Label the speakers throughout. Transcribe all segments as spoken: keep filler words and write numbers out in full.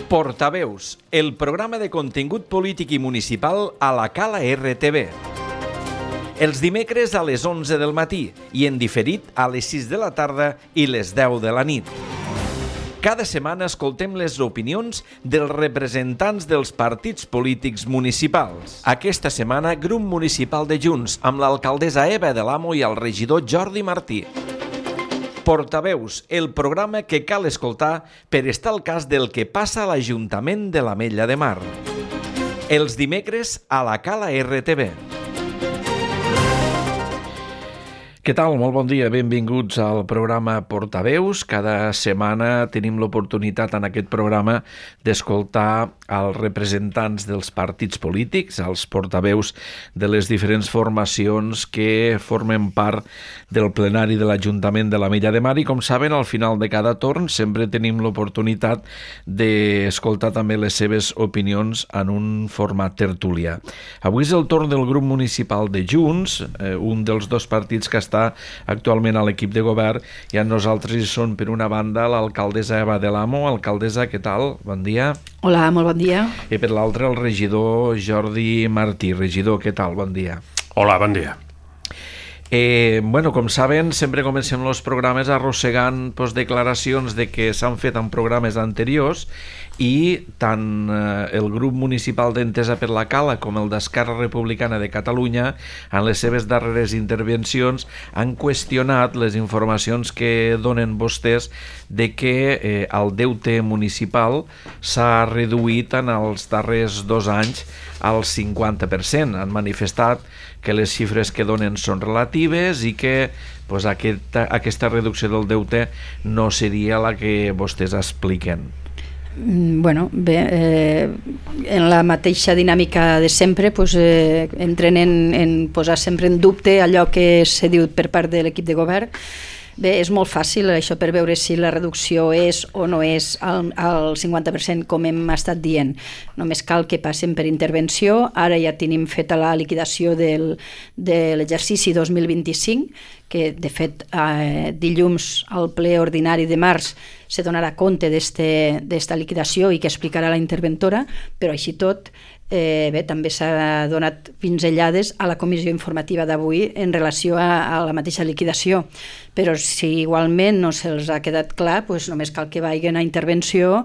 Speaker 1: Portaveus, el programa de contingut polític i municipal a la Cala R T V. Els dimecres a les onze del matí i en diferit a les sis de la tarda i les deu de la nit. Cada setmana escoltem les opinions dels representants dels partits polítics municipals. Aquesta setmana, grup municipal de Junts, amb l'alcaldessa Eva de l'Amo i el regidor Jordi Martí. Portaveus, el programa que cal escoltar per estar al cas del que passa a l'Ajuntament de l'Ametlla de Mar. Els dimecres a la Cala R T V. Què tal? Molt bon dia, benvinguts al programa Portaveus. Cada setmana tenim l'oportunitat en aquest programa d'escoltar els representants dels partits polítics, els portaveus de les diferents formacions que formen part del plenari de l'Ajuntament de l'Ametlla de Mar i, com saben, al final de cada torn sempre tenim l'oportunitat d'escoltar també les seves opinions en un format tertulià. Avui és el torn del grup municipal de Junts, eh, un dels dos partits que està actualment a l'equip de govern, i amb nosaltres hi són, per una banda, l'alcaldessa Eva de l'Amo. Alcaldessa, què tal? Bon dia.
Speaker 2: Hola, molt bon dia.
Speaker 1: I per l'altre, el regidor Jordi Martí. Regidor, què tal? Bon dia.
Speaker 3: Hola, bon dia.
Speaker 1: Eh, bueno, com saben, sempre comencem els programes arrossegant pues, declaracions de que s'han fet en programes anteriors, i tant eh, el grup municipal d'Entesa per la Cala com el d'Esquerra Republicana de Catalunya, en les seves darreres intervencions, han qüestionat les informacions que donen vostès de que eh, el deute municipal s'ha reduït en els darrers dos anys al cinquanta per cent. Han manifestat que les xifres que donen són relatives i que pues, aquesta, aquesta reducció del deute no seria la que vostès expliquen.
Speaker 2: Bueno, bé, eh, en la mateixa dinàmica de sempre, pues, eh, entren en, en posar sempre en dubte allò que s'ha dit per part de l'equip de govern. Bé, és molt fàcil això per veure si la reducció és o no és al, al cinquanta per cent, com hem estat dient. Només cal que passen per intervenció. Ara ja tenim feta la liquidació del, de l'exercici dos mil vint-i-cinc, que de fet eh, dilluns al ple ordinari de març se donarà compte d'esta liquidació i que explicarà la interventora, però així tot eh, bé, també s'ha donat pinzellades a la comissió informativa d'avui en relació a, a la mateixa liquidació, però si igualment no se'ls ha quedat clar, pues només cal que vagin a intervenció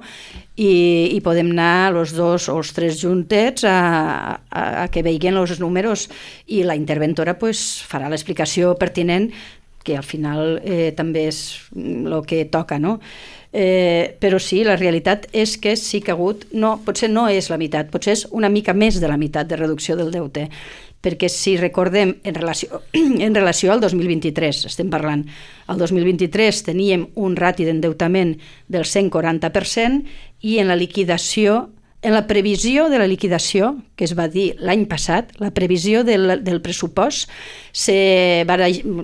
Speaker 2: i, i podem anar els dos o els tres juntets a, a, a que vegin els números, i la interventora pues, farà l'explicació pertinent, que al final eh, també és el que toca, no? Eh, però sí, la realitat és que sí que ha hagut, no, potser no és la meitat, potser és una mica més de la meitat de reducció del deute, perquè si recordem en relació, en relació al dos mil vint-i-tres, estem parlant, al dos mil vint-i-tres teníem un rati d'endeutament del cent quaranta per cent, i en la liquidació, en la previsió de la liquidació, que es va dir l'any passat, la previsió del, del pressupost, se,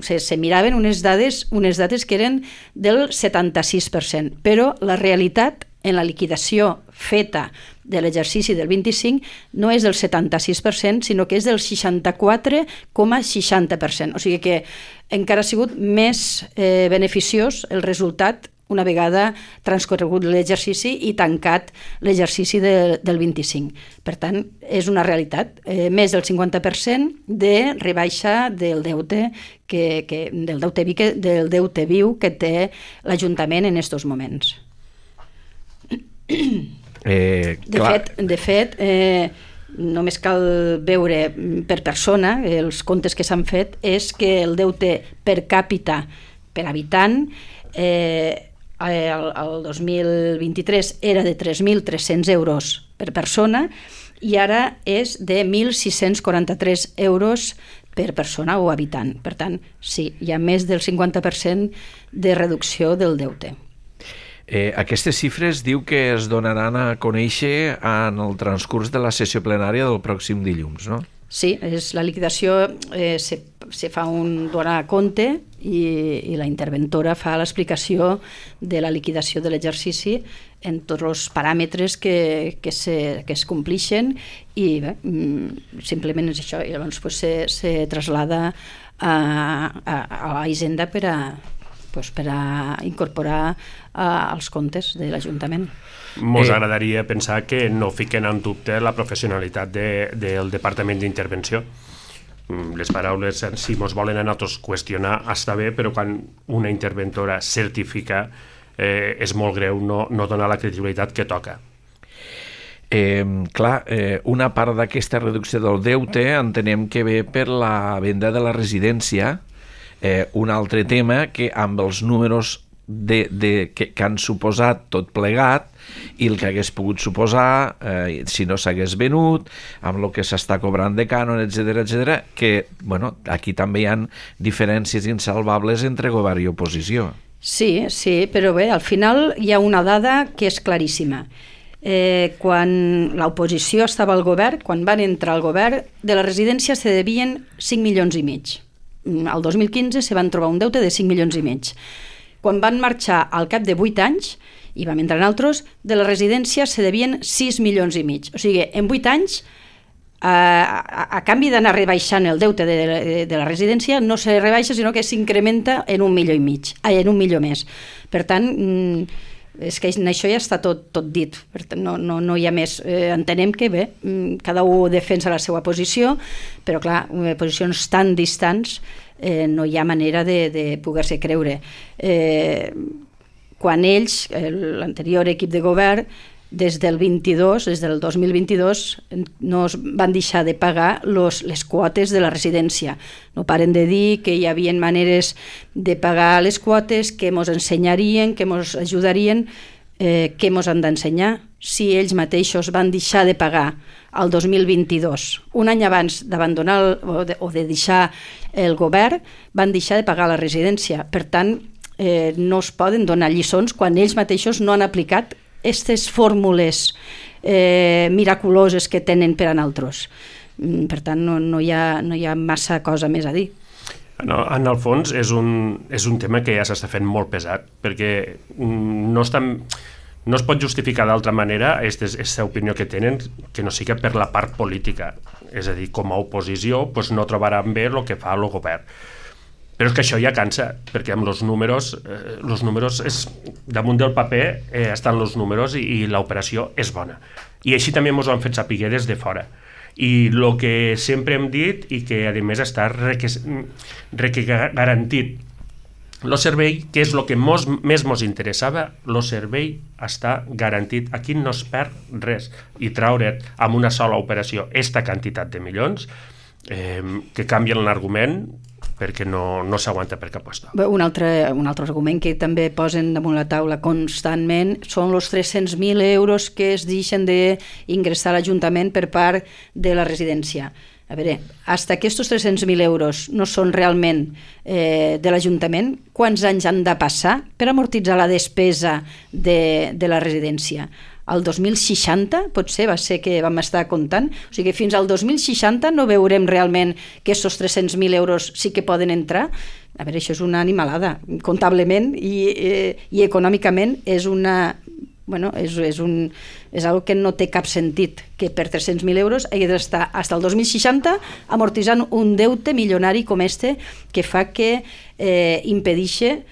Speaker 2: se, se miraven unes dades, unes dades que eren del setanta-sis per cent, però la realitat en la liquidació feta de l'exercici del vint-i-cinc no és del setanta-sis per cent, sinó que és del seixanta-quatre coma seixanta per cent. O sigui que encara ha sigut més eh, beneficiós el resultat una vegada transcorregut l'exercici i tancat l'exercici de, del vint-i-cinc. Per tant, és una realitat. Eh, més del cinquanta per cent de rebaixa del deute, que, que, del, deute vi, que, del deute viu que té l'Ajuntament en aquests moments.
Speaker 1: Eh,
Speaker 2: de fet, de fet eh, només cal veure per persona, els comptes que s'han fet, és que el deute per càpita per habitant eh, El, el dos mil vint-i-tres era de tres mil tres-cents euros per persona i ara és de mil sis-cents quaranta-tres euros per persona o habitant. Per tant, sí, hi ha més del cinquanta per cent de reducció del deute.
Speaker 1: Eh, aquestes xifres diu que es donaran a conèixer en el transcurs de la sessió plenària del pròxim dilluns, no?
Speaker 2: Sí, és, la liquidació eh, se, se fa un donar compte i, i la interventora fa l'explicació de la liquidació de l'exercici en tots els paràmetres que, que, se, que es complixen i bé, simplement és això, i llavors pues, se, se traslada a, a, a la Hisenda per a, pues, per a incorporar uh, als comptes de l'Ajuntament.
Speaker 3: Mos
Speaker 1: Eh.
Speaker 3: agradaria pensar que no fiquen en dubte la professionalitat de, del Departament d'Intervenció. Mm, Les paraules, si mos volen a nosaltres qüestionar, està bé, però quan una interventora certifica eh, és molt greu no, no donar la credibilitat que toca.
Speaker 1: Eh, clar, eh, una part d'aquesta reducció del deute entenem que ve per la venda de la residència, eh, un altre tema que amb els números de, de, que, que han suposat tot plegat i el que hagués pogut suposar eh, si no s'hagués venut, amb el que s'està cobrant de cànon, etcètera, etcètera, que bueno, aquí també hi ha diferències insalvables entre govern i oposició.
Speaker 2: Sí, sí, però bé, al final hi ha una dada que és claríssima. Eh, quan l'oposició estava al govern, quan van entrar al govern, de la residència se devien cinc milions i mig. Al dos mil quinze se van trobar un deute de cinc milions i mig. Quan van marxar al cap de vuit anys, i vam entrar en altres, de la residència se devien sis milions i mig. O sigui, en vuit anys, a, a, a canvi d'anar rebaixant el deute de, de, de la residència, no se rebaixa, sinó que s'incrementa en un milió i mig, ai, en un milió més. Per tant, és que en això ja està tot, tot dit, per tant, no, no, no hi ha més. Eh, entenem que bé, cada un defensa la seva posició, però clar, posicions tan distants eh, no hi ha manera de, de poder-se creure. Eh, quan ells, l'anterior equip de govern, des del vint-i-dos, des del dos mil vint-i-dos, no es van deixar de pagar los, les quotes de la residència. No paren de dir que hi havia maneres de pagar les quotes, que ens ensenyarien, que ens ajudarien, eh, què ens han d'ensenyar. Si ells mateixos van deixar de pagar el dos mil vint-i-dos, un any abans d'abandonar o, de, o de deixar el govern, van deixar de pagar la residència. Per tant, eh, no es poden donar lliçons quan ells mateixos no han aplicat aquestes fórmules eh, miraculoses que tenen per a nosaltres. Per tant, no, no, hi ha, no hi ha massa cosa més a dir.
Speaker 3: No, en el fons és un, és un tema que ja s'està fent molt pesat, perquè no, estan, no es pot justificar d'altra manera aquesta opinió que tenen que no sigui per la part política. És a dir, com a oposició doncs no trobaran bé el que fa el govern. Però és que això ja cansa, perquè amb els números, eh, els números és, damunt del paper eh, estan els números i, i l'operació és bona. I així també ens ho han fet saber des de fora. I el que sempre hem dit i que a més està reque, reque garantit, el servei, que és el que mos, més ens interessava, el servei està garantit. Aquí no es perd res. I traure amb una sola operació esta quantitat de milions eh, que canvien l'argument perquè no, no s'aguanta per cap lloc.
Speaker 2: Un altre, un altre argument que també posen damunt la taula constantment són els tres-cents mil euros que es deixen d'ingressar a l'Ajuntament per part de la residència. A veure, fins que aquests tres-cents mil euros no són realment eh, de l'Ajuntament, quants anys han de passar per amortitzar la despesa de, de la residència? El dos mil seixanta, potser va ser que vam estar comptant, o sigui, fins al dos mil seixanta no veurem realment que aquests tres-cents mil euros sí que poden entrar. A veure, això és una animalada, comptablement i, eh, i econòmicament és una... Bueno, és, és, un, és algo que no té cap sentit, que per tres-cents mil euros hagi d'estar fins al dos mil seixanta amortitzant un deute milionari com este que fa que eh, impedixe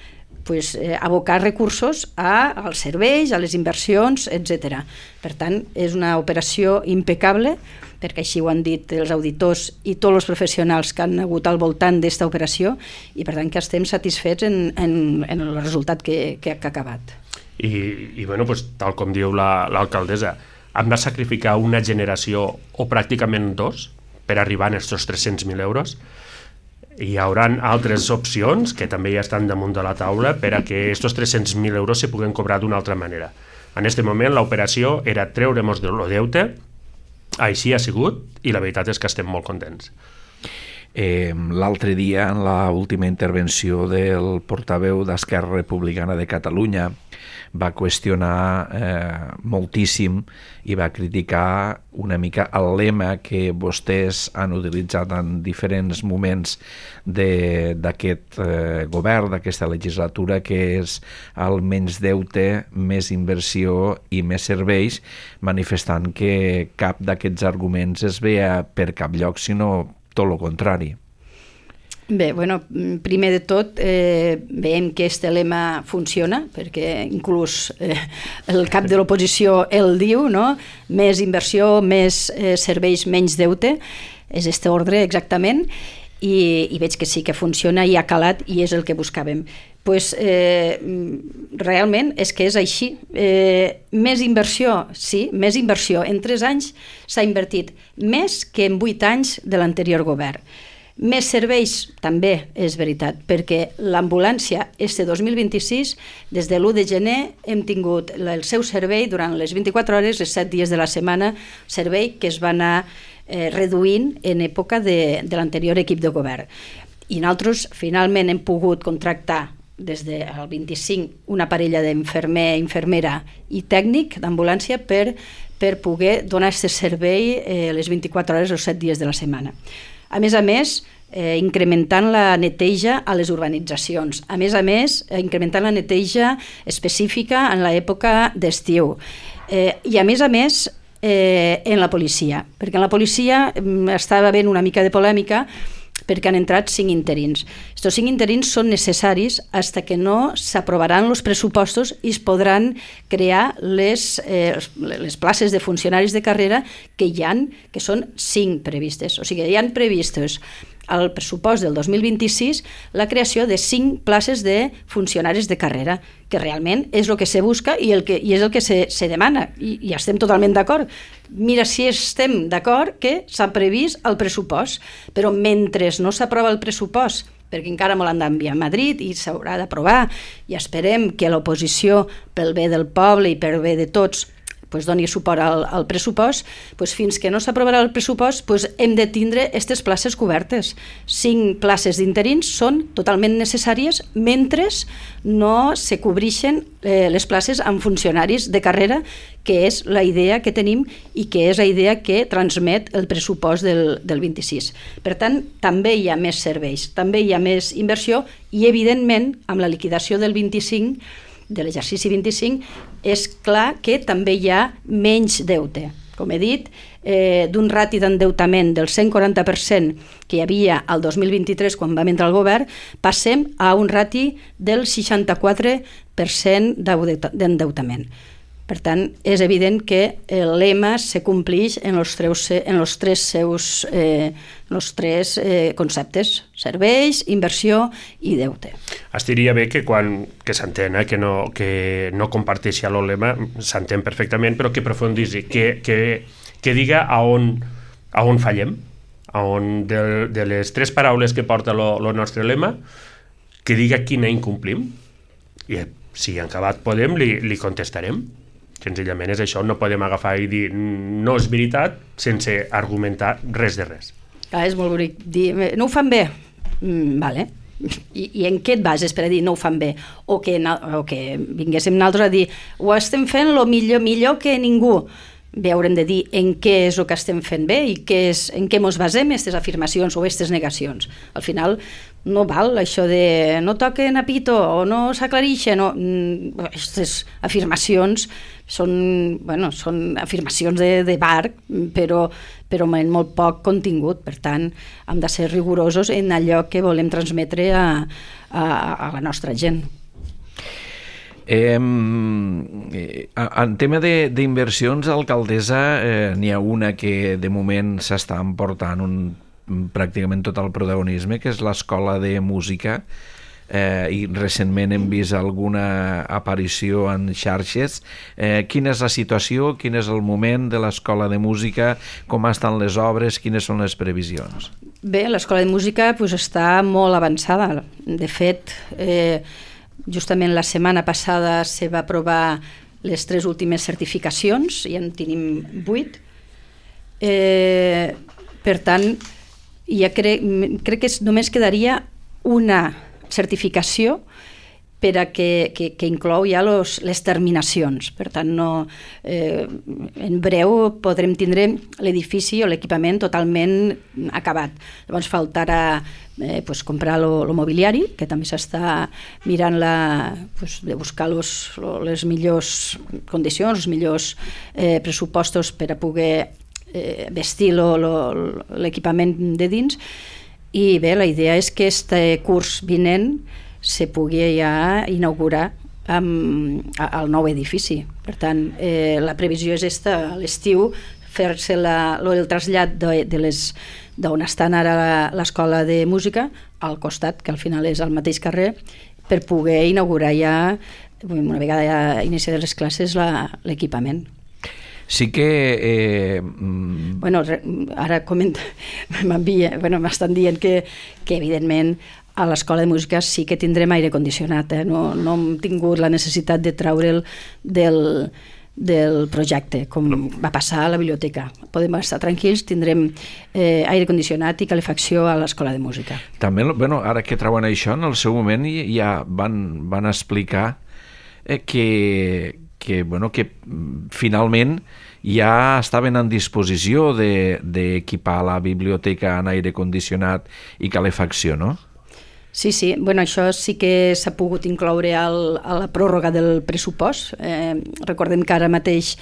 Speaker 2: pues, eh, abocar recursos a, als serveis, a les inversions, etcètera. Per tant, és una operació impecable, perquè així ho han dit els auditors i tots els professionals que han hagut al voltant d'esta operació, i per tant que estem satisfets en, en, en el resultat que, que, que ha acabat.
Speaker 3: I, i bueno, pues, tal com diu l'alcaldessa, hem de sacrificar una generació o pràcticament dos per arribar a aquests tres-cents mil euros. Hi haurà altres opcions que també ja estan damunt de la taula per a que aquests tres-cents mil euros se puguen cobrar d'una altra manera. En aquest moment l'operació era treure-nos del deute, així ha sigut, i la veritat és que estem molt contents.
Speaker 1: Eh, l'altre dia, en l'última intervenció del portaveu d'Esquerra Republicana de Catalunya, va qüestionar eh, moltíssim i va criticar una mica el lema que vostès han utilitzat en diferents moments d'aquest eh, govern, d'aquesta legislatura, que és el menys deute, més inversió i més serveis, manifestant que cap d'aquests arguments es veia per cap lloc, sinó tot el contrari.
Speaker 2: Bé, bueno, primer de tot eh, veiem que este lema funciona, perquè inclús eh, el cap de l'oposició el diu, no? Més inversió, més eh, serveis, menys deute, és este ordre exactament, i, i veig que sí que funciona i ha calat i és el que buscàvem. Pues, eh, realment és que és així. Eh, més inversió, sí, més inversió. En tres anys s'ha invertit més que en vuit anys de l'anterior govern. Més serveis, també és veritat, perquè l'ambulància este dos mil vint-i-sis, des de l'u de gener, hem tingut el seu servei durant les vint-i-quatre hores, els set dies de la setmana, servei que es va anar eh, reduint en època de, de l'anterior equip de govern. I nosaltres finalment hem pogut contractar des del vint-i-cinc una parella d'infermer, infermera i tècnic d'ambulància per, per poder donar aquest servei eh, les vint-i-quatre hores o set dies de la setmana. A més a més, eh, incrementant la neteja a les urbanitzacions. A més a més, eh, incrementant la neteja específica en l'època d'estiu. Eh, I a més a més, eh, en la policia. Perquè en la policia eh, estava havent una mica de polèmica perquè han entrat cinc interins. Estos cinc interins són necessaris fins que no s'aprovaran els pressupostos i es podran crear les, eh, les places de funcionaris de carrera que hi han, que són cinc previstes. O sigui, hi han previstes al pressupost del dos mil vint-i-sis la creació de cinc places de funcionaris de carrera, que realment és el que se busca i, el que, i és el que se, se demana, i, i estem totalment d'acord. Mira si estem d'acord que s'ha previst el pressupost, però mentre no s'aprova el pressupost, perquè encara me l'han d'enviar a Madrid i s'haurà d'aprovar, i esperem que l'oposició, pel bé del poble i pel bé de tots, pues doni suport al, al pressupost, pues fins que no s'aprovarà el pressupost pues hem de tindre aquestes places cobertes. Cinc places d'interins són totalment necessàries mentre no se cobreixen eh, les places amb funcionaris de carrera, que és la idea que tenim i que és la idea que transmet el pressupost del, del vint-i-sis. Per tant, també hi ha més serveis, també hi ha més inversió i, evidentment, amb la liquidació del vint-i-cinc, de l'exercici vint-i-cinc, és clar que també hi ha menys deute. Com he dit, eh, d'un rati d'endeutament del cent quaranta per cent que hi havia al dos mil vint-i-tres quan vam entrar al govern, passem a un rati del seixanta-quatre per cent d'endeutament. Per tant, és evident que el lema se compleix en els tres, en els tres seus eh, els tres eh, conceptes: serveis, inversió i deute.
Speaker 3: Estaria bé que quan que s'entén, eh, que, no, que no comparteixi el lema, s'entén perfectament, però que aprofundissi, que, que, que diga a on, a on fallem, a on de, de les tres paraules que porta el nostre lema, que diga quina incomplim, i si en acabat podem li, li contestarem. Senzillament és això, no podem agafar i dir no és veritat sense argumentar res de res.
Speaker 2: Clar, és molt bonic dir, no ho fan bé, mm, vale. I, i en què et bases per a dir no ho fan bé? O que, o que vinguéssim nosaltres a dir ho estem fent el millor, millor que ningú. Bé, haurem de dir en què és el que estem fent bé i què és, en què ens basem aquestes afirmacions o aquestes negacions. Al final no val això de no toquen a pito o no s'aclareixen. No. Aquestes afirmacions són, bueno, són afirmacions de, de bar, però, però amb molt poc contingut. Per tant, hem de ser rigorosos en allò que volem transmetre a, a, a la nostra gent.
Speaker 1: Eh, en tema d'inversions, alcaldessa, eh, n'hi ha una que de moment s'està emportant un, pràcticament tot el protagonisme, que és l'Escola de Música, eh, i recentment hem vist alguna aparició en xarxes. Eh, quina és la situació, quin és el moment de l'Escola de Música, com estan les obres, quines són les previsions?
Speaker 2: Bé, l'Escola de Música pues, està molt avançada. De fet, eh, justament la setmana passada se va aprovar les tres últimes certificacions i en tenim vuit. Eh, per tant, ja crec, crec que només quedaria una certificació per a que, que, que inclou ja los, les terminacions. Per tant, no, eh, en breu podrem tindre l'edifici o l'equipament totalment acabat. Llavors faltarà eh, pues, comprar el mobiliari, que també s'està mirant la, pues, de buscar los, les millors condicions, els millors eh, pressupostos per a poder eh, vestir l'equipament de dins. i bé, la idea és que este curs vinent se pugui ja inaugurar amb, al nou edifici. Per tant, eh, la previsió és esta, a l'estiu, fer-se la, el trasllat de, de les d'on estan ara l'escola de música al costat, que al final és al mateix carrer, per poder inaugurar ja, una vegada ja iniciades les classes, l'equipament.
Speaker 1: Sí que... Eh...
Speaker 2: Bueno, ara comenta, bueno, m'estan dient que, que evidentment a l'escola de música sí que tindrem aire condicionat, eh? no, no hem tingut la necessitat de treure'l del, del projecte, com va passar a la biblioteca. Podem estar tranquils, tindrem eh, aire condicionat i calefacció a l'escola de música.
Speaker 1: També, bueno, ara que treuen això, en el seu moment ja van, van explicar eh, que, que, bueno, que finalment ja estaven en disposició d'equipar de, la biblioteca en aire condicionat i calefacció, no?
Speaker 2: Sí, sí, bueno, això sí que s'ha pogut incloure al, a la pròrroga del pressupost. Eh, recordem que ara mateix,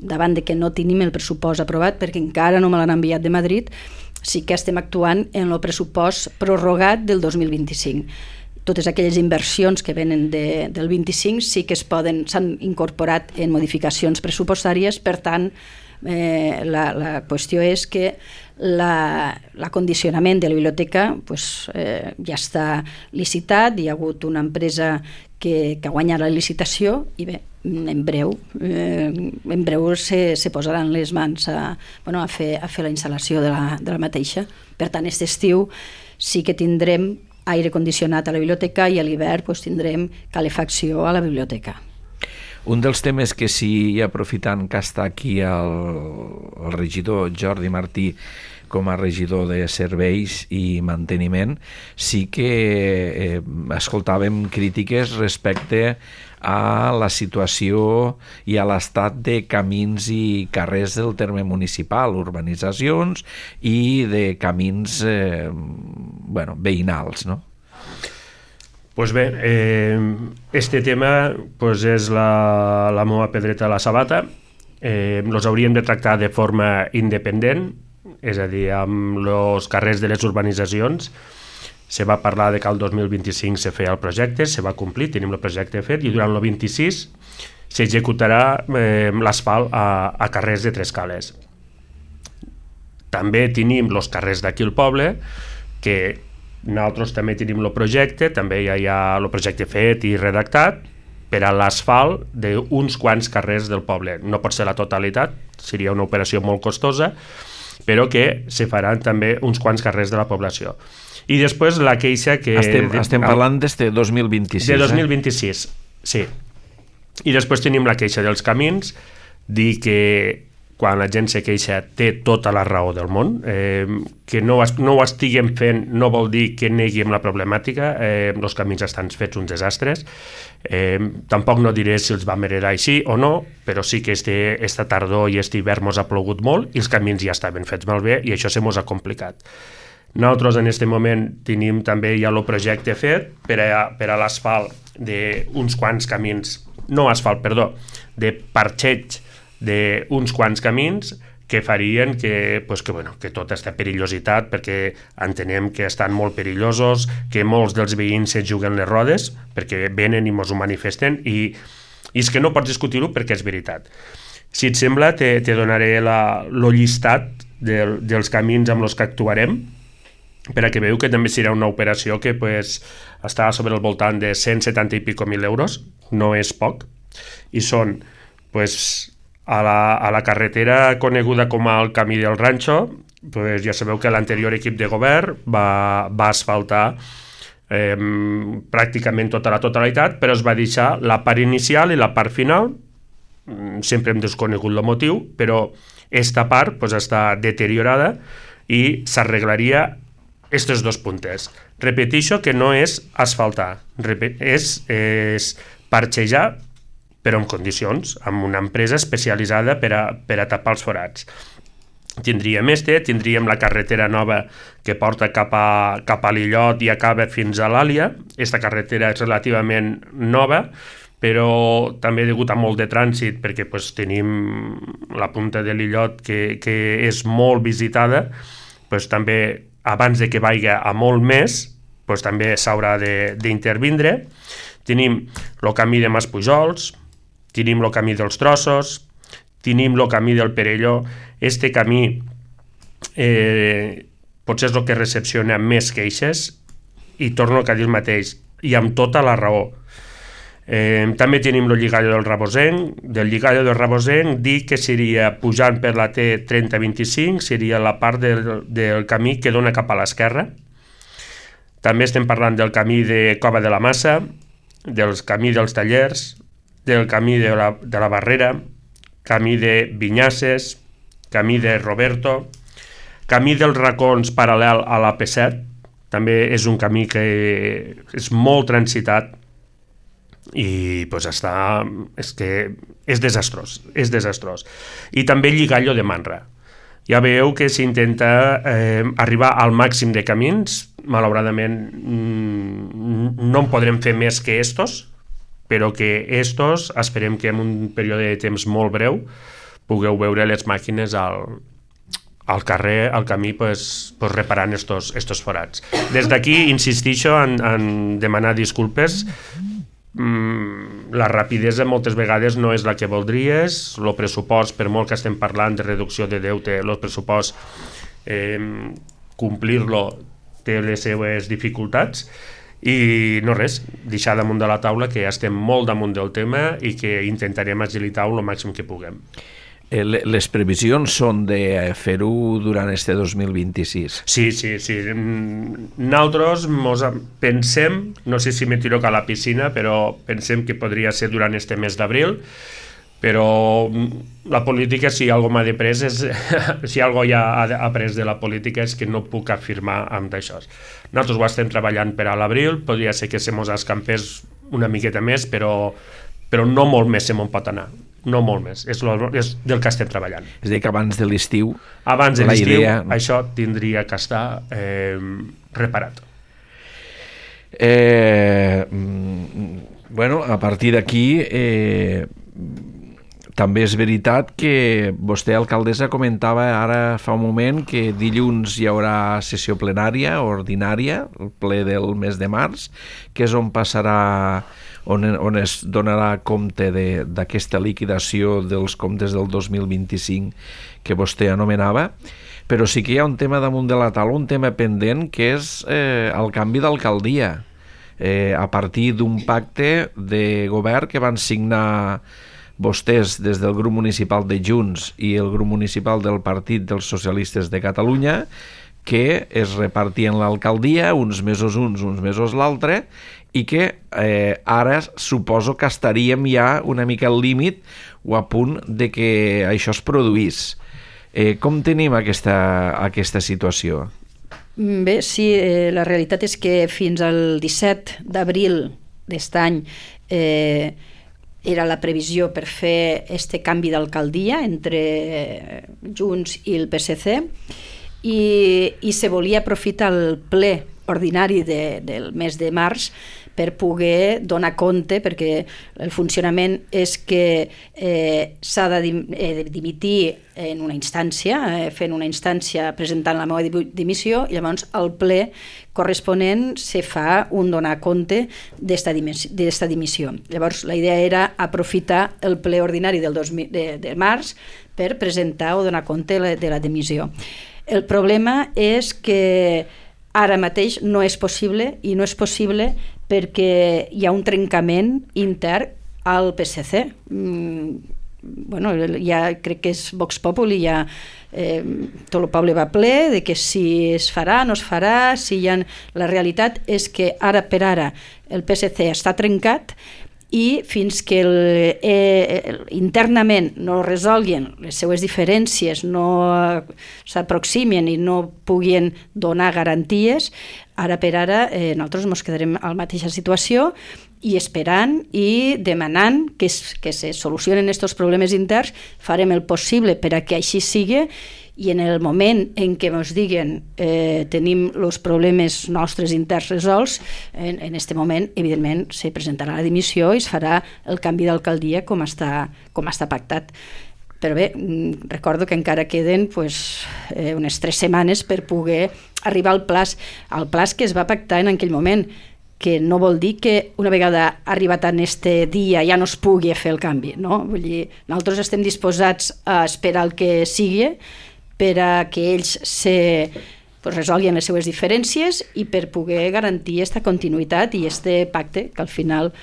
Speaker 2: davant de que no tenim el pressupost aprovat, perquè encara no me l'han enviat de Madrid, sí que estem actuant en el pressupost prorrogat del dos mil vint-i-cinc. Totes aquelles inversions que venen de, del vint-i-cinc sí que es poden, s'han incorporat en modificacions pressupostàries, per tant, eh, la, la qüestió és que l'acondicionament de la biblioteca pues, eh, ja està licitat, hi ha hagut una empresa que, que ha guanyat la licitació i bé, en breu, eh, en breu se, se posaran les mans a, bueno, a, fer, a fer la instal·lació de la, de la mateixa. Per tant, aquest estiu sí que tindrem aire condicionat a la biblioteca i a l'hivern pues, tindrem calefacció a la biblioteca.
Speaker 1: Un dels temes que sí, aprofitant que està aquí el, el regidor Jordi Martí com a regidor de serveis i manteniment, sí que eh, escoltàvem crítiques respecte a la situació i a l'estat de camins i carrers del terme municipal, urbanitzacions i de camins eh, bueno, veïnals, no?
Speaker 3: Pues bé, eh, este tema pues és la, la meva pedreta a la sabata. Eh, los hauríem de tractar de forma independent, és a dir, amb els carrers de les urbanitzacions. Se va parlar de que el dos mil vint-i-cinc se feia el projecte, se va complir, tenim el projecte fet, i durant el vint-i-sis s'executarà eh, l'asfalt a, a carrers de tres cales. També tenim els carrers d'aquí al poble, que nosaltres també tenim el projecte, també ja hi ha el projecte fet i redactat per a l'asfalt d'uns quants carrers del poble. No pot ser la totalitat, seria una operació molt costosa, però que se faran també uns quants carrers de la població. I després la queixa que...
Speaker 1: Estem, estem parlant des de dos mil vint-i-sis.
Speaker 3: De dos mil vint-i-sis, eh? Sí. I després tenim la queixa dels camins, dir que quan la gent se queixa té tota la raó del món, eh, que no, no ho estiguem fent no vol dir que neguem la problemàtica, eh, els camins estan fets uns desastres, eh, tampoc no diré si els vam heredar així o no, però sí que este, esta tardor i este hivern mos ha plogut molt i els camins ja estaven fets malbé i això se mos ha complicat. Nosaltres en aquest moment tenim també ja el projecte fet per a, per a l'asfalt d'uns quants camins, no asfalt, perdó, de parxeig d'uns quants camins que farien que, pues que, bueno, que tota aquesta perillositat, perquè entenem que estan molt perillosos, que molts dels veïns se juguen les rodes, perquè venen i mos ho manifesten, i, i és que no pots discutir-ho perquè és veritat. Si et sembla, te, te donaré la, lo llistat de, dels camins amb els que actuarem, per a que veieu que també serà una operació que pues, està sobre el voltant de cent setanta i pico mil euros, no és poc, i són pues, a, la, a la carretera coneguda com el Camí del Ranxo, pues, ja sabeu que l'anterior equip de govern va, va asfaltar eh, pràcticament tota la totalitat, però es va deixar la part inicial i la part final, sempre hem desconegut el motiu, però esta part pues, està deteriorada i s'arreglaria estos dos puntes. Repeteixo que no és asfaltar, és, és parxejar, però en condicions, amb una empresa especialitzada per a, per a tapar els forats. Tindríem este, tindríem la carretera nova que porta cap a, cap a l'Illot i acaba fins a l'Àlia. Esta carretera és relativament nova, però també degut a molt de trànsit, perquè pues, tenim la punta de l'Illot que, que és molt visitada, pues, també abans de que vagi a molt més, doncs també s'haurà d'intervindre. Tenim el camí de Mas Pujols, tenim el camí dels Trossos, tenim el camí del Perelló. Este camí eh, potser és el que recepciona més queixes, i torno al que ha dit mateix, i amb tota la raó. Eh, també tenim el lligallo del Rabosenc. Del lligallo del Rabosenc dic que seria pujant per la T trenta vint-i-cinc, seria la part del, del camí que dona cap a l'esquerra. També estem parlant del camí de Cova de la Massa, del camí dels Tallers, del camí de la, de la Barrera, camí de Vinyasses, camí de Roberto, camí dels Racons paral·lel a la P set, també és un camí que és molt transitat, i pues està, és que és desastrós, és desastrós. I també el lligallo de Manra. Ja veieu que s'intenta eh, arribar al màxim de camins. Malauradament no en podrem fer més que estos, però que estos esperem que en un període de temps molt breu pugueu veure les màquines al, al carrer, al camí, pues, pues reparant estos, estos forats. Des d'aquí insistixo en, en demanar disculpes. La rapidesa moltes vegades no és la que voldries, el pressupost, per molt que estem parlant de reducció de deute, el pressupost, eh, complir-lo té les seues dificultats, i no res, deixar damunt de la taula que estem molt damunt del tema i que intentarem agilitar-ho el màxim que puguem.
Speaker 1: Les previsions són de fer-ho durant este dos mil vint-i-sis.
Speaker 3: Sí, sí, sí. Nosaltres mos pensem, no sé si me tiro a la piscina, però pensem que podria ser durant este mes d'abril, però la política, si algo m'ha després, és, si algo ja ha après de la política és que no puc afirmar amb això. Nosaltres ho estem treballant per a l'abril, podria ser que se mos escampés una miqueta més, però, però no molt més se mos pot anar. No molt més, és, lo, és del que estem treballant.
Speaker 1: És a dir, que abans de l'estiu...
Speaker 3: Abans de l'estiu, idea... això tindria que estar eh, reparat.
Speaker 1: Eh, bueno, a partir d'aquí, eh, també és veritat que vostè, alcaldessa, comentava ara fa un moment que dilluns hi haurà sessió plenària ordinària, el ple del mes de març, que és on passarà... On, on es donarà compte d'aquesta liquidació dels comptes del dos mil vint-i-cinc que vostè anomenava, però sí que hi ha un tema damunt de la taula, un tema pendent, que és eh, el canvi d'alcaldia, eh, a partir d'un pacte de govern que van signar vostès des del grup municipal de Junts i el grup municipal del Partit dels Socialistes de Catalunya, que es repartien l'alcaldia, uns mesos uns, uns mesos l'altre, i que eh, ara suposo que estaríem ja una mica al límit o a punt de que això es produís. Eh, com tenim aquesta, aquesta situació?
Speaker 2: Bé, sí, eh, la realitat és que fins al disset d'abril d'aquest any eh, era la previsió per fer este canvi d'alcaldia entre Junts i el P S C, i, i se volia aprofitar el ple ordinari de, del mes de març per poder donar compte, perquè el funcionament és que eh, s'ha de dim, eh, dimitir en una instància, eh, fent una instància presentant la meva dimissió, i llavors al ple corresponent se fa un donar compte d'esta dimissió. Llavors la idea era aprofitar el ple ordinari del dos mil, de, de març per presentar o donar compte de la dimissió. El problema és que ara mateix no és possible, i no és possible perquè hi ha un trencament intern al P S C. Mm, bueno, ja crec que és Vox Populi, ja eh, tot el poble va ple de que si es farà, no es farà, si hi ha... La realitat és que ara per ara el P S C està trencat, i fins que el, eh, internament no resolguin les seues diferències, no s'aproximen i no puguin donar garanties, ara per ara eh, nosaltres ens quedarem a la mateixa situació i esperant i demanant que, es, que se solucionen aquests problemes interns. Farem el possible per a que així sigui, i en el moment en què ens diguen eh, tenim els problemes nostres interns resolts, en aquest moment, evidentment, se presentarà la dimissió i es farà el canvi d'alcaldia com està, com està pactat. Però bé, recordo que encara queden pues, eh, unes tres setmanes per poder arribar al plaç, al plaç que es va pactar en aquell moment, que no vol dir que una vegada arribat en este dia ja no es pugui fer el canvi, no? Vull dir, nosaltres estem disposats a esperar el que sigui per a que ells se, pues, resolguin les seues diferències i per poder garantir aquesta continuïtat i este pacte, que al final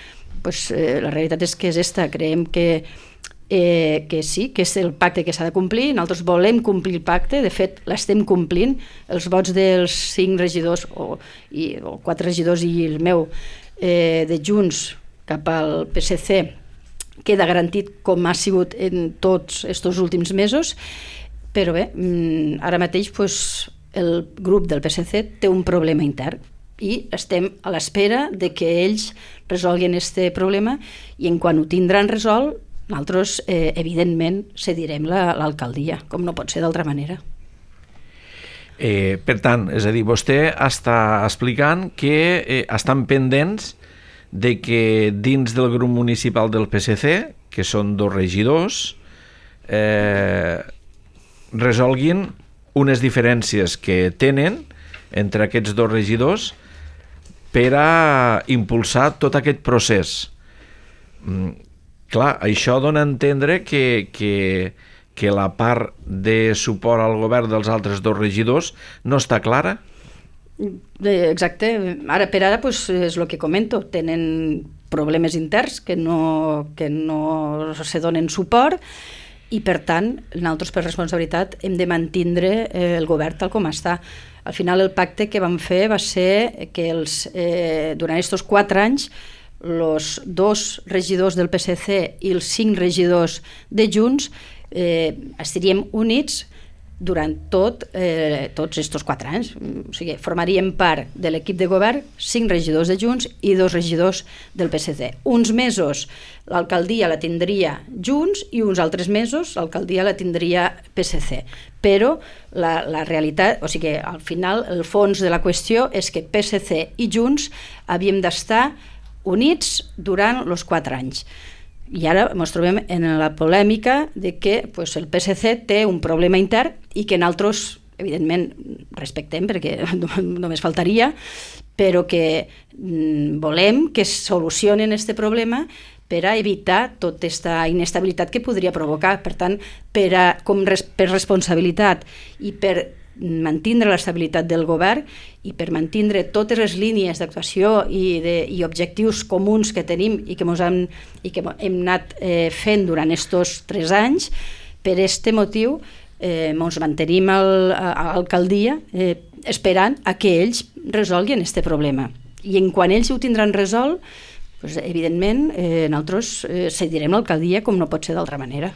Speaker 2: pues, eh, la realitat és que és esta, creiem que Eh, que sí, que és el pacte que s'ha de complir, nosaltres volem complir el pacte, de fet l'estem complint, els vots dels cinc regidors o, i, o quatre regidors i el meu eh, de Junts cap al P S C queda garantit com ha sigut en tots aquests últims mesos, però bé, ara mateix pues, el grup del P S C té un problema intern i estem a l'espera de que ells resolguin aquest problema i en quan ho tindran resolt nosaltres, eh, evidentment, cedirem l'alcaldia, com no pot ser d'altra manera.
Speaker 1: Eh, per tant, és a dir, vostè està explicant que eh, estan pendents de que dins del grup municipal del P S C, que són dos regidors, eh, resolguin unes diferències que tenen entre aquests dos regidors per a impulsar tot aquest procés. Mm, clar, això dona a entendre que, que, que la part de suport al govern dels altres dos regidors no està clara?
Speaker 2: Exacte. Ara per ara pues, és el que comento. Tenen problemes interns que no, que no se donen suport i, per tant, nosaltres per responsabilitat hem de mantindre el govern tal com està. Al final el pacte que vam fer va ser que els, eh, durant aquests quatre anys els dos regidors del P S C i els cinc regidors de Junts eh, estaríem units durant tot, eh, tots aquests quatre anys. O sigui, formaríem part de l'equip de govern cinc regidors de Junts i dos regidors del P S C. Uns mesos l'alcaldia la tindria Junts i uns altres mesos l'alcaldia la tindria P S C. Però la, la realitat, o sigui, al final el fons de la qüestió és que P S C i Junts havíem d'estar units durant els quatre anys. I ara ens trobem en la polèmica de que pues, el P S C té un problema intern i que nosaltres, evidentment, respectem perquè només faltaria, però que mm, volem que solucionen aquest problema per a evitar tota aquesta inestabilitat que podria provocar. Per tant, per, a, com res, per responsabilitat i per mantindre l'estabilitat del govern i per mantindre totes les línies d'actuació i, de, i objectius comuns que tenim i que, hem, i que hem anat eh, fent durant aquests tres anys, per aquest motiu eh, ens mantenim al, a l'alcaldia eh, esperant a que ells resolguin aquest problema. I en quan ells ho tindran resolt, doncs, evidentment, eh, nosaltres eh, cedirem l'alcaldia com no pot ser d'altra manera.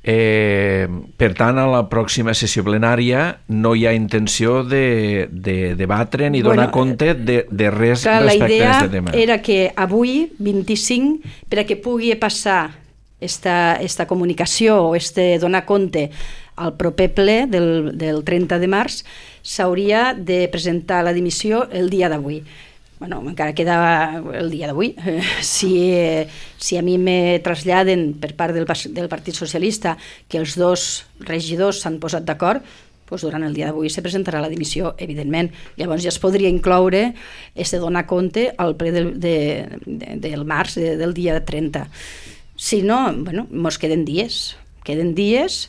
Speaker 1: Eh, per tant, a la pròxima sessió plenària no hi ha intenció de, de debatre ni donar bueno, compte de, de res clar, respecte a aquest tema.
Speaker 2: La idea era que avui, vint-i-cinc, per a que pugui passar esta, esta comunicació o este donar compte al proper ple del, del trenta de març, s'hauria de presentar la dimissió el dia d'avui. Bueno, encara queda el dia d'avui. Si, si a mi me traslladen per part del, del Partit Socialista que els dos regidors s'han posat d'acord, doncs durant el dia d'avui se presentarà la dimissió, evidentment. Llavors ja es podria incloure este donar compte al ple del, de, de, del març, de, del dia trenta. Si no, bueno, mos queden dies. Queden dies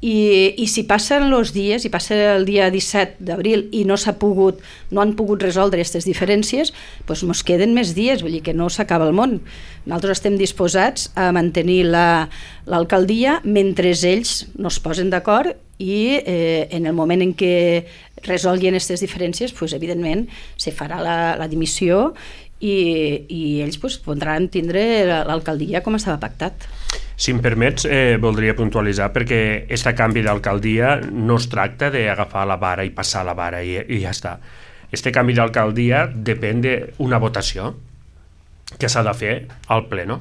Speaker 2: I, i si passen els dies, i passa el dia disset d'abril i no s'ha pogut, no han pogut resoldre aquestes diferències, doncs mos queden més dies, vull dir que no s'acaba el món. Nosaltres estem disposats a mantenir la, l'alcaldia mentre ells no es posen d'acord i eh, en el moment en què resolguin aquestes diferències, doncs, evidentment, se farà la, la dimissió i, i ells doncs, podran tindre l'alcaldia com estava pactat.
Speaker 3: Si em permets, eh, voldria puntualitzar perquè aquest canvi d'alcaldia no es tracta d'agafar la vara i passar la vara i, i ja està. Este canvi d'alcaldia depèn d'una votació que s'ha de fer al pleno.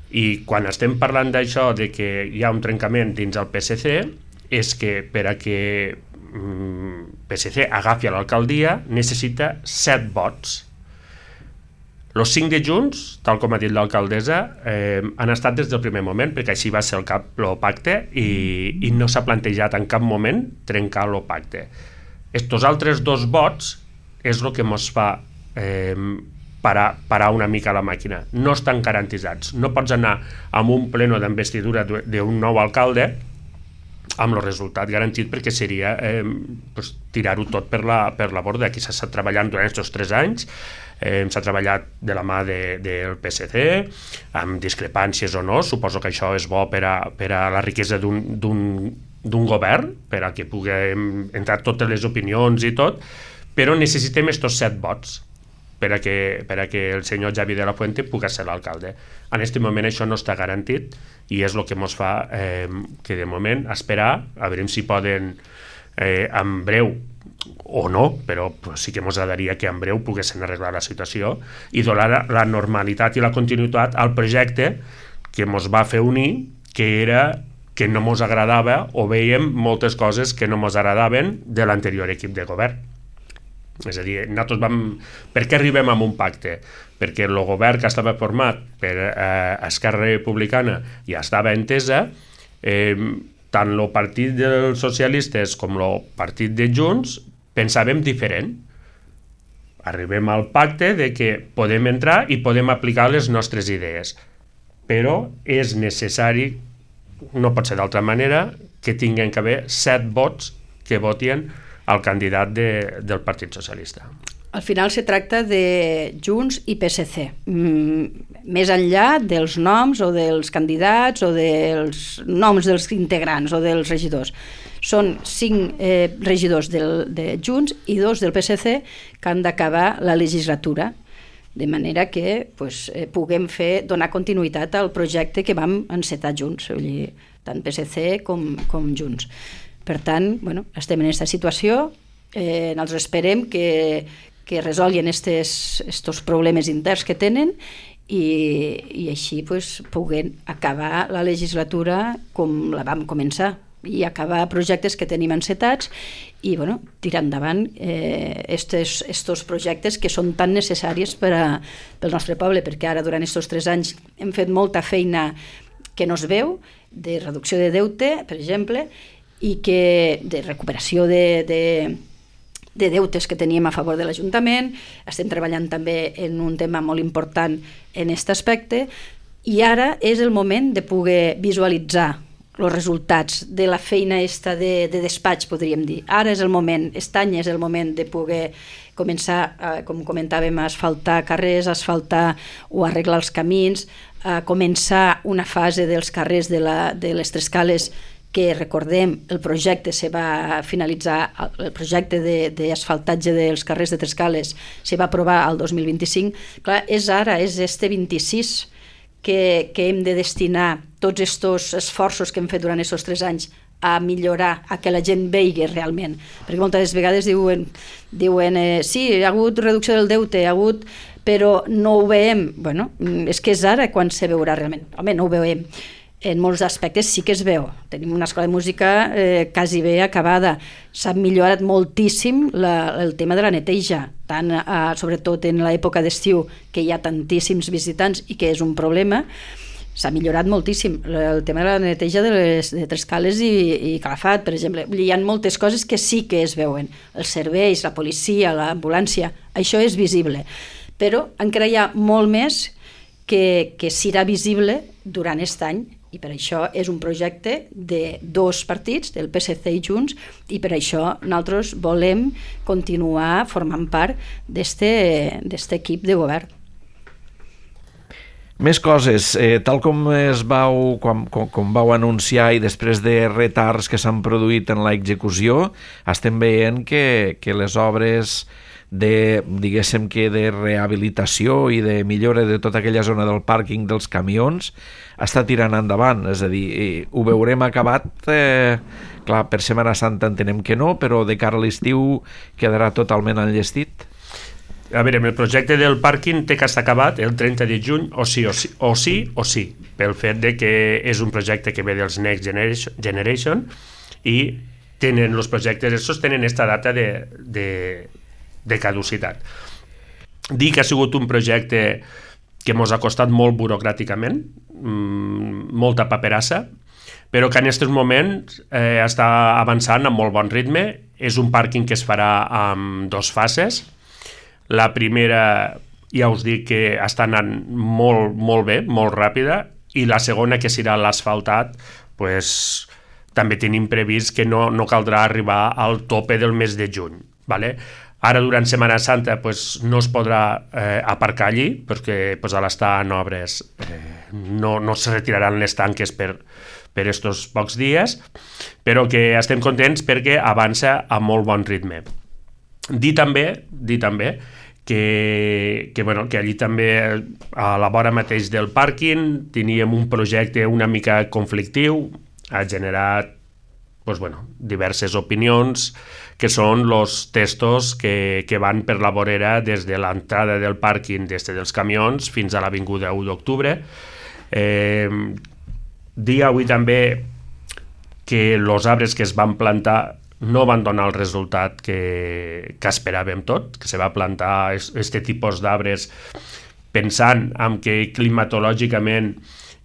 Speaker 3: I quan estem parlant d'això, de que hi ha un trencament dins el P S C, és que per a que mm, P S C agafi l'alcaldia necessita set vots. Els cinc de Junts, tal com ha dit l'alcaldessa, eh, han estat des del primer moment, perquè així va ser el, cap, el pacte, i, i no s'ha plantejat en cap moment trencar el pacte. Estos altres dos vots és el que ens fa eh, parar, parar una mica la màquina. No estan garantitzats. No pots anar amb un pleno d'investidura d'un nou alcalde amb el resultat garantit, perquè seria eh, pues, tirar-ho tot per la, per la borda. Aquí s'ha estat treballant durant aquests tres anys, eh, s'ha treballat de la mà de, del P S C, amb discrepàncies o no. Suposo que això és bo per a, per a la riquesa d'un, d'un, d'un govern, per a que puguem entrar totes les opinions i tot, però necessitem estos set vots per a que, per a que el senyor Xavi de la Fuente pugui ser l'alcalde. En aquest moment això no està garantit i és el que ens fa eh, que de moment esperar, a veure si poden eh, en breu o no, però sí que ens agradaria que en breu poguessin arreglar la situació i donar la normalitat i la continuïtat al projecte que ens va fer unir, que era que no ens agradava o veiem moltes coses que no ens agradaven de l'anterior equip de govern. És a dir, nosaltres vam... Per què arribem a un pacte? Perquè el govern que estava format per eh, Esquerra Republicana ja estava entesa, eh, tant el partit dels socialistes com el partit de Junts pensàvem diferent. Arribem al pacte de que podem entrar i podem aplicar les nostres idees, però és necessari, no pot ser d'altra manera, que tinguin que haver set vots que votin al candidat de, del Partit Socialista.
Speaker 2: Al final se tracta de Junts i P S C, mm, més enllà dels noms o dels candidats o dels noms dels integrants o dels regidors. Són cinc eh, regidors del, de Junts i dos del P S C que han d'acabar la legislatura, de manera que pues, eh, puguem fer, donar continuïtat al projecte que vam encetar junts, vull dir, tant P S C com, com Junts. Per tant, bueno, estem en aquesta situació, eh, nosaltres esperem que, que resolguin estos problemes interns que tenen i, i així pues, puguem acabar la legislatura com la vam començar i acabar projectes que tenim encetats i bueno, tirar endavant eh, estos, estos projectes que són tan necessaris per a, pel nostre poble, perquè ara durant aquests tres anys hem fet molta feina que no es veu, de reducció de deute, per exemple, i que de recuperació de, de, de deutes que teníem a favor de l'Ajuntament. Estem treballant també en un tema molt important en aquest aspecte i ara és el moment de poder visualitzar els resultats de la feina esta de, de despatx, podríem dir. Ara és el moment, aquest any és el moment de poder començar, eh, com comentàvem, a asfaltar carrers, asfaltar o arreglar els camins, a començar una fase dels carrers de, la, de les Tres Cales que recordem el projecte se va finalitzar, el projecte d'asfaltatge de, dels carrers de Tres Cales se va aprovar el dos mil vint-i-cinc. Clar, és ara, és este vint-i-sis que, que hem de destinar tots aquests esforços que hem fet durant aquests tres anys a millorar, a que la gent vegi realment, perquè moltes vegades diuen, diuen eh, sí, hi ha hagut reducció del deute, hi ha hagut, però no ho veiem. Bueno, és que és ara quan se veurà realment. Home, no ho veiem. En molts aspectes sí que es veu. Tenim una escola de música eh, quasi bé acabada. S'ha millorat moltíssim la, el tema de la neteja, tant, eh, sobretot en l'època d'estiu, que hi ha tantíssims visitants i que és un problema. S'ha millorat moltíssim el tema de la neteja de, les, de Tres Cales i, i Calafat, per exemple. Hi ha moltes coses que sí que es veuen. Els serveis, la policia, l'ambulància, això és visible. Però encara hi ha molt més que, que serà visible durant aquest any, i per això és un projecte de dos partits, del P S C i Junts, i per això nosaltres volem continuar formant part d'aquest equip de govern.
Speaker 1: Més coses, eh, tal com es vau, com, com, com vau anunciar i després de retards que s'han produït en l'execució, estem veient que, que les obres de, diguéssim que de rehabilitació i de millora de tota aquella zona del pàrquing dels camions està tirant endavant, és a dir, ho veurem acabat, eh, clar, per Setmana Santa entenem que no, però de cara a l'estiu quedarà totalment enllestit?
Speaker 3: A veure, el projecte del pàrquing té que estar acabat el trenta de juny o sí o sí, o sí, o sí pel fet de que és un projecte que ve dels Next Generation, Generation i tenen els projectes, estos tenen esta data de, de, de caducitat. dir que ha sigut un projecte que ens ha costat molt burocràticament, mmm, molta paperassa, però que en aquests moments eh, està avançant amb molt bon ritme. És un pàrquing que es farà amb dos fases. La primera, ja us dic que està anant molt, molt bé, molt ràpida, i la segona, que serà l'asfaltat, pues, també tenim previst que no, no caldrà arribar al tope del mes de juny. Vale? Ara, durant Setmana Santa, pues, no es podrà eh, aparcar allí, perquè pues, a l'estar en obres eh, no, no se retiraran les tanques per, per estos pocs dies, però que estem contents perquè avança a molt bon ritme. Dir també, dir també que, que, bueno, que allí també, a la vora mateix del pàrquing, teníem un projecte una mica conflictiu, ha generat pues, bueno, diverses opinions, que són els testos que, que van per la vorera des de l'entrada del pàrquing des dels camions fins a l'avinguda u d'octubre. Eh, dir avui també que els arbres que es van plantar no van donar el resultat que, que esperàvem tot, que se va plantar aquest tipus d'arbres pensant en que climatològicament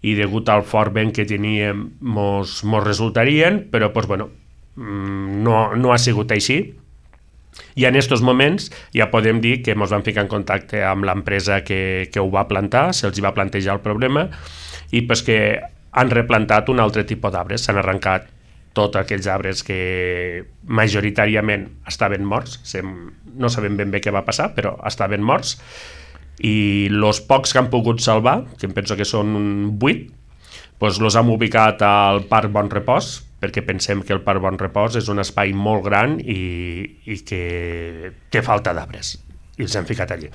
Speaker 3: i degut al fort vent que teníem mos, mos resultarien, però pues, bueno, no, no ha sigut així. I en aquests moments ja podem dir que ens vam ficar en contacte amb l'empresa que, que ho va plantar, se'ls va plantejar el problema, i pues, que han replantat un altre tipus d'arbres, s'han arrencat tots aquells arbres que majoritàriament estaven morts, no sabem ben bé què va passar, però estaven morts, i els pocs que han pogut salvar, que em penso que són vuit, doncs els hem ubicat al Parc Bon Repòs, perquè pensem que el Parc Bon Repòs és un espai molt gran i, i que té falta d'arbres, i els hem ficat allí.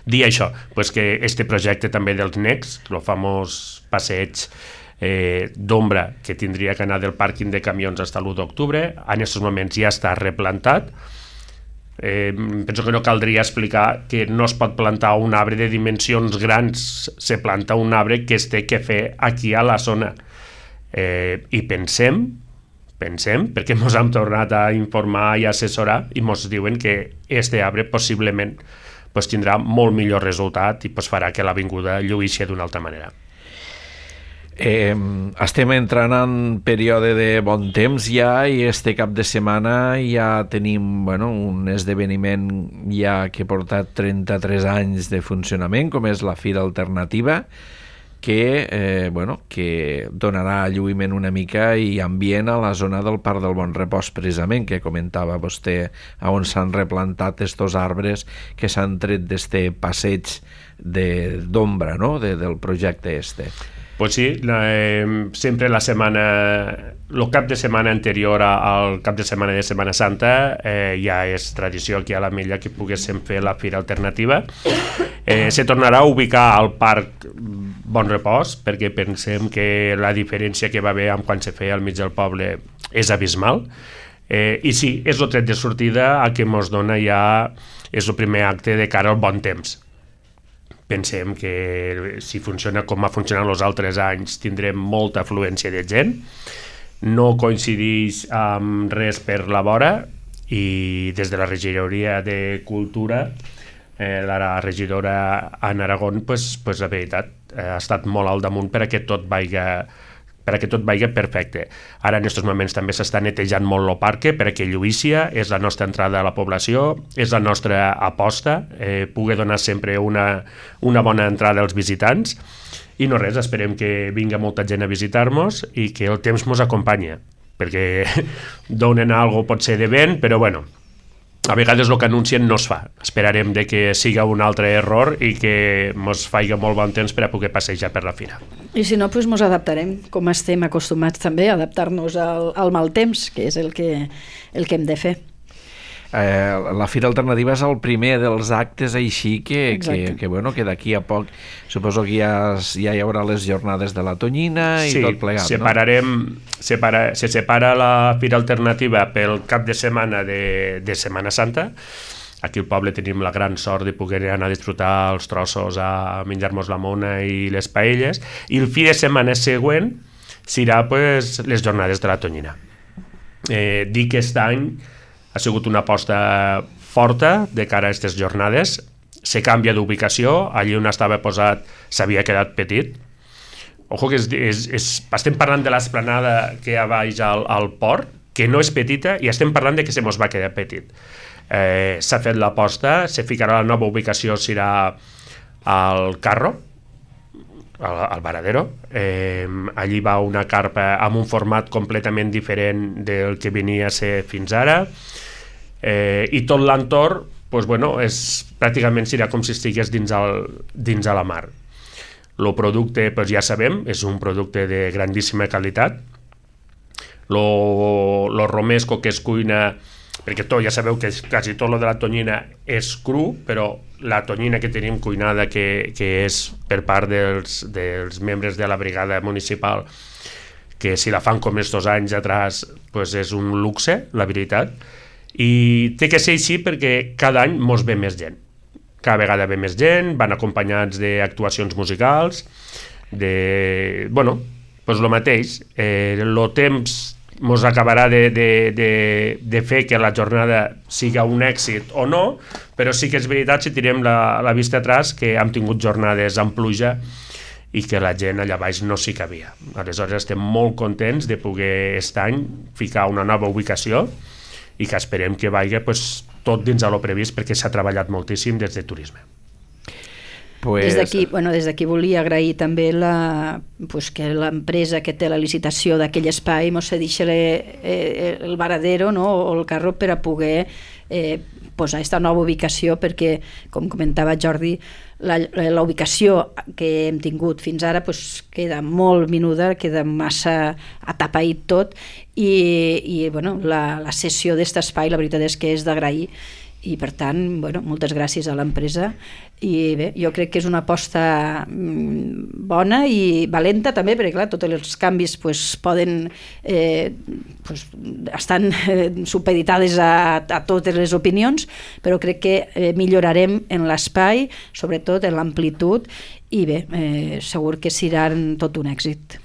Speaker 3: Dir això, doncs que este projecte també dels Next, el famós passeig Eh, d'ombra que tindria que anar del pàrquing de camions fins a l'u d'octubre, en aquests moments ja està replantat. Eh, penso que no caldria explicar que no es pot plantar un arbre de dimensions grans, se planta un arbre que es té que fer aquí a la zona. Eh, I pensem, pensem, perquè ens hem tornat a informar i assessorar, i ens diuen que este arbre possiblement pues, tindrà molt millor resultat i pues, farà que l'avinguda lluïssi d'una altra manera.
Speaker 1: Eh, estem entrant en període de bon temps ja, i este cap de setmana ja tenim bueno, un esdeveniment ja que ha portat trenta-tres anys de funcionament, com és la Fira Alternativa, que, eh, bueno, que donarà lluïment una mica i ambient a la zona del Parc del Bon Repòs, precisament, que comentava vostè, on s'han replantat estos arbres que s'han tret d'este passeig d'ombra, no?, de, del projecte este.
Speaker 3: Pues sí, la, eh, sempre la setmana, el cap de setmana anterior al cap de setmana de Setmana Santa eh, ja és tradició aquí a la Mella que poguéssim fer la Fira Alternativa. Eh, se tornarà a ubicar al Parc Bon Repòs, perquè pensem que la diferència que va haver amb quan se feia al mig del poble és abismal. Eh, I sí, és el tret de sortida a que ens dona ja, és el primer acte de cara al bon temps. Pensem que si funciona com ha funcionat els altres anys tindrem molta afluència de gent, no coincideix amb res per la vora, i des de la regidoria de Cultura, eh, la regidora Anna Aragón, pues, pues, la veritat, eh, ha estat molt al damunt per a que tot vaiga per a que tot vagi perfecte. Ara en aquests moments també s'està netejant molt el parc per a que lluïssia, és la nostra entrada a la població, és la nostra aposta, eh, pugui donar sempre una, una bona entrada als visitants, i no res, esperem que vinga molta gent a visitar-nos i que el temps ens acompanya, perquè donen alguna cosa pot ser de vent, però bueno, a vegades el que anuncien no es fa. Esperarem de que siga un altre error i que ens faci molt bon temps per a poder passejar per la fira.
Speaker 2: I si no, doncs ens adaptarem, com estem acostumats també a adaptar-nos al, al mal temps, que és el que, el que hem de fer.
Speaker 1: Eh, la Fira Alternativa és el primer dels actes així que, que, que, bueno, que d'aquí a poc suposo que ja, ja hi haurà les jornades de la Tonyina i
Speaker 3: sí,
Speaker 1: tot plegat,
Speaker 3: separarem,
Speaker 1: no?
Speaker 3: Separa, se separa la Fira Alternativa pel cap de setmana de, de Setmana Santa. Aquí al poble tenim la gran sort de poder anar a disfrutar els trossos, a menjar-nos la mona i les paelles, i el fi de setmana següent serà pues, les jornades de la Tonyina. Eh, dic que aquest any ha sigut una aposta forta de cara a aquestes jornades. se canvia d'ubicació, allí on estava posat s'havia quedat petit. Ojo que és, és, és, estem parlant de l'esplanada que hi ha baix al, al port, que no és petita, i estem parlant de que se mos va quedar petit. Eh, s'ha fet l'aposta, se ficarà la nova ubicació, serà al Carro, al, al Varadero. Eh, allí va una carpa amb un format completament diferent del que venia a ser fins ara, eh, i tot l'entorn pues bueno, és, pràcticament serà com si estigués dins, el, dins a la mar. El producte, pues ja sabem, és un producte de grandíssima qualitat. Lo, lo romesco que es cuina, perquè tot, ja sabeu que quasi tot lo de la tonyina és cru, però la tonyina que tenim cuinada, que, que és per part dels, dels membres de la brigada municipal, que si la fan com estos anys atrás, pues és un luxe, la veritat. I té que ser així perquè cada any mos ve més gent. Cada vegada ve més gent, van acompanyats d'actuacions musicals, de... bueno, doncs el mateix. Eh, el temps mos acabarà de, de, de, de fer que la jornada siga un èxit o no, però sí que és veritat, si tirem la, la vista atrás, que hem tingut jornades amb pluja i que la gent allà baix no s'hi cabia. Aleshores estem molt contents de poder aquest any ficar una nova ubicació i que esperem que vagi pues, tot dins de lo previst, perquè s'ha treballat moltíssim des de turisme.
Speaker 2: Pues... Des d'aquí bueno, des d'aquí volia agrair també la, pues, que l'empresa que té la licitació d'aquell espai mos cedeixi eh, el Varadero, no? O el Carro per a poder eh, posar aquesta nova ubicació, perquè, com comentava Jordi, la, la ubicació que hem tingut fins ara pues, queda molt minuda, queda massa atapeït tot, i, i bueno, la, la cessió d'aquest espai la veritat és que és d'agrair, i per tant, bueno, moltes gràcies a l'empresa, i bé, jo crec que és una aposta bona i valenta també, perquè clar, tots els canvis pues, poden eh, pues, estan eh, supeditades a, a totes les opinions, però crec que eh, millorarem en l'espai, sobretot en l'amplitud, i bé, eh, segur que serà tot un èxit.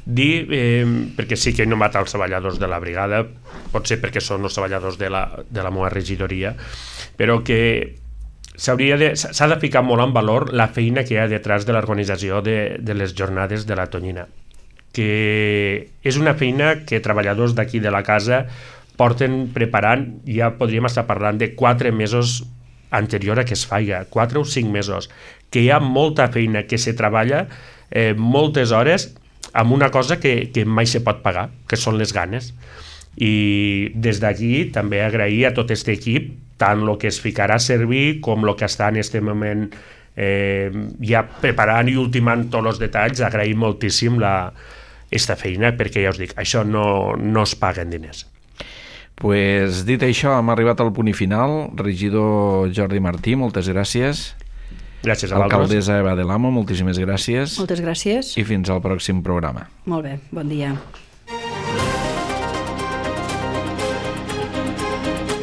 Speaker 3: Dir, eh, perquè sí que he nomat els treballadors de la brigada, pot ser perquè són els treballadors de la, de la meva regidoria, però que s'hauria de, s'ha de ficar molt en valor la feina que hi ha detrás de l'organització de, de les jornades de la tonyina, que és una feina que treballadors d'aquí de la casa porten preparant, ja podríem estar parlant de quatre mesos anterior a que es faiga, quatre o cinc mesos, que hi ha molta feina que se treballa, eh, moltes hores, amb una cosa que, que mai se pot pagar, que són les ganes. I des d'aquí també agrair a tot aquest equip, tant el que es ficarà a servir com el que està en aquest moment eh, ja preparant i ultimant tots els detalls. Agrair moltíssim la, esta feina, perquè ja us dic, això no, no es paguen diners.
Speaker 1: Pues dit això, hem arribat al punt final. Regidor Jordi Martí, moltes gràcies.
Speaker 3: Gràcies a vosaltres.
Speaker 1: Alcaldessa Eva de l'Amo, moltíssimes gràcies.
Speaker 2: Moltes gràcies.
Speaker 1: I fins al pròxim programa.
Speaker 2: Molt bé, bon dia.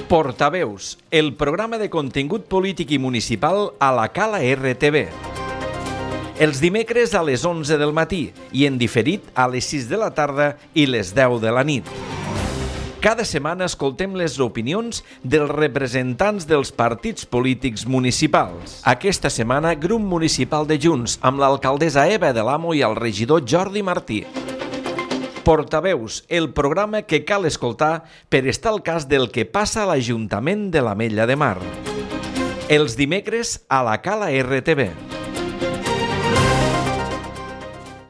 Speaker 1: Portaveus, el programa de contingut polític i municipal a la Cala R T V. Els dimecres a les onze del matí i en diferit a les sis de la tarda i les deu de la nit. Cada setmana escoltem les opinions dels representants dels partits polítics municipals. Aquesta setmana, Grup Municipal de Junts, amb l'alcaldessa Eva de l'Amo i el regidor Jordi Martí. Portaveus, el programa que cal escoltar per estar al cas del que passa a l'Ajuntament de l'Ametlla de Mar. Els dimecres a la Cala R T V.